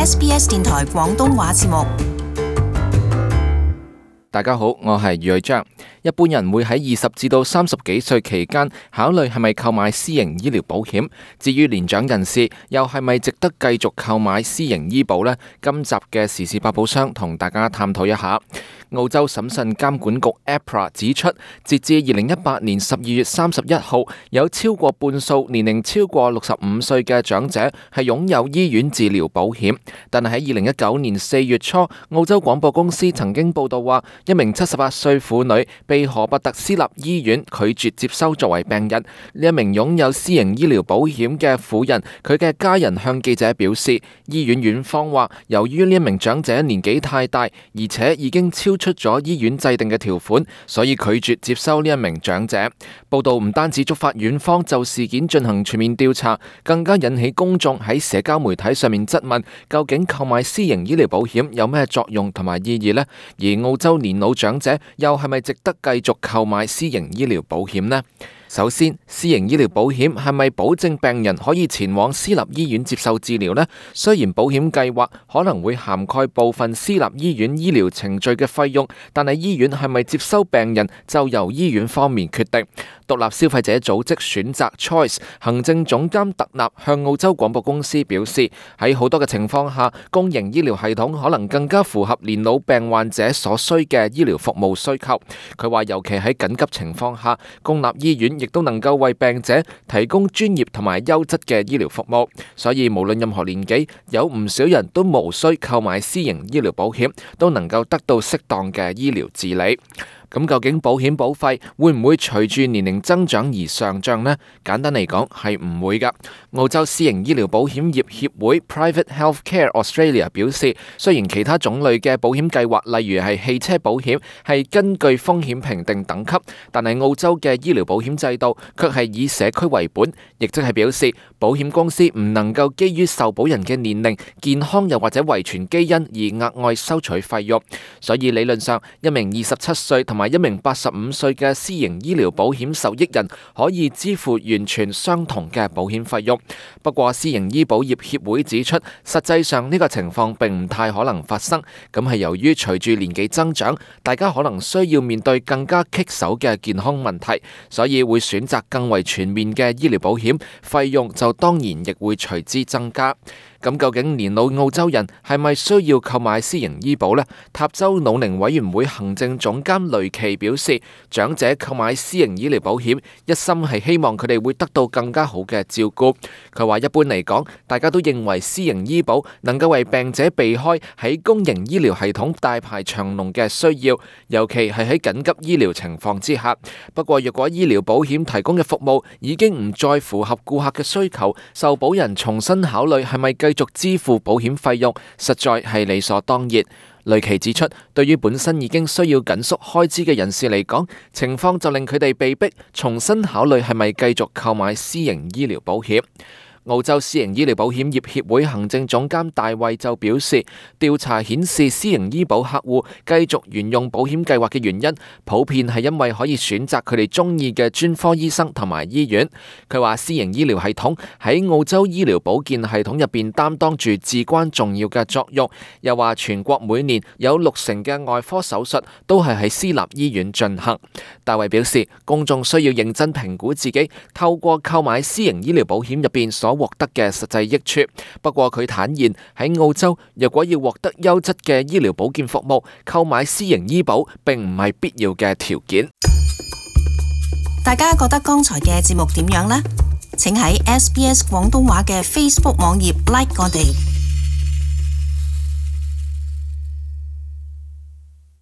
SBS 電台廣東話節目。大家好，我係余偉章。一般人會喺20至到30幾歲期間考慮係咪購買私營醫療保險。至於年長人士，又係咪值得繼續購買私營醫保呢？今集嘅時事百寶箱同大家探討一下。澳洲審慎監管局 APRA 指出，截至2018年12月31號，有超過半數年齡超過65歲嘅長者係擁有醫院治療保險。但係喺2019年4月初，澳洲廣播公司曾經報道話，一名78歲婦女被荷伯特私立醫院拒絕接收作為病人。呢一名擁有私營醫療保險嘅婦人，佢嘅家人向記者表示，醫院院方話，由於呢一名長者年紀太大，而且已經超出咗醫院制定嘅條款，所以拒絕接收呢一名長者。報道唔單止觸發院方就事件進行全面調查，更加引起公眾喺社交媒體上面質問，究竟購買私營醫療保險有咩作用同埋意義呢？而澳洲年老長者又係咪值得繼續購買私營醫療保險呢？首先，私營醫療保險係咪保證病人可以前往私立醫院接受治療呢？雖然保險計劃可能會涵蓋部分私立醫院醫療程序嘅費用，但係醫院係咪接收病人就由醫院方面決定。獨立消費者組織選擇 Choice 行政總監特納向澳洲廣播公司表示，喺好多嘅情況下，公營醫療系統可能更加符合年老病患者所需嘅醫療服務需求。佢話，尤其喺緊急情況下，公立醫院亦都能夠為病者提供專業同埋優質嘅醫療服務。所以無論任何年紀，有唔少人都無需購買私營醫療保險，都能夠得到適當嘅醫療治理。咁究竟保險保費會唔會隨住年齡增長而上漲呢？簡單嚟講係唔會㗎。澳洲私營醫療保險業協會 Private Healthcare Australia 表示，雖然其他種類嘅保險計劃，例如係汽車保險，係根據風險評定等級，但係澳洲嘅醫療保險制度卻係以社區為本，亦即係表示保險公司唔能夠基於受保人嘅年齡、健康又或者遺傳基因而額外收取費用。所以理論上，一名27歲同埋一名85歲嘅私營醫療保險受益人可以支付完全相同嘅保險費用。不過，私營醫保業協會指出，實際上呢個情況並唔太可能發生。咁係由於隨住年紀增長，大家可能需要面對更加棘手嘅健康問題，所以會選擇更為全面嘅醫療保險，費用就當然亦會隨之增加。咁究竟年老澳洲人係咪需要購買私營醫保呢？塔州老齡委員會行政總監雷奇表示，長者購買私營醫療保險，一心係希望佢哋會得到更加好嘅照顧。佢話一般嚟講，大家都認為私營醫保能夠為病者避開喺公營醫療系統大排長龍嘅需要，尤其係喺緊急醫療情況之下。不過若果醫療保險提供嘅服務已經唔再符合顧客嘅需求，受保人重新考慮係咪繼續支付保險費用，實在係理所當然。雷奇指出，對於本身已經需要緊縮開支嘅人士嚟講，情況就令佢哋被迫重新考慮係咪繼續購買私營醫療保險。澳洲私營醫療保險業協會行政總監大衛就表示，調查顯示私營醫保客戶繼續沿用保險計劃嘅原因，普遍係因為可以選擇佢哋中意嘅專科醫生同埋醫院。佢話私營醫療系統喺澳洲醫療保健系統入邊擔當住至關重要嘅作用。又話全國每年有60%嘅外科手術都係喺私立醫院進行。大衛表示，公眾需要認真評估自己透過購買私營醫療保險入邊所獲得嘅實際益處。不過佢坦言，喺澳洲若果要獲得優質嘅醫療保健服務，購買私營醫保並唔係必要嘅條件。大家覺得剛才嘅節目點樣呢？請喺SBS 廣東話嘅 Facebook 網頁 like 我哋。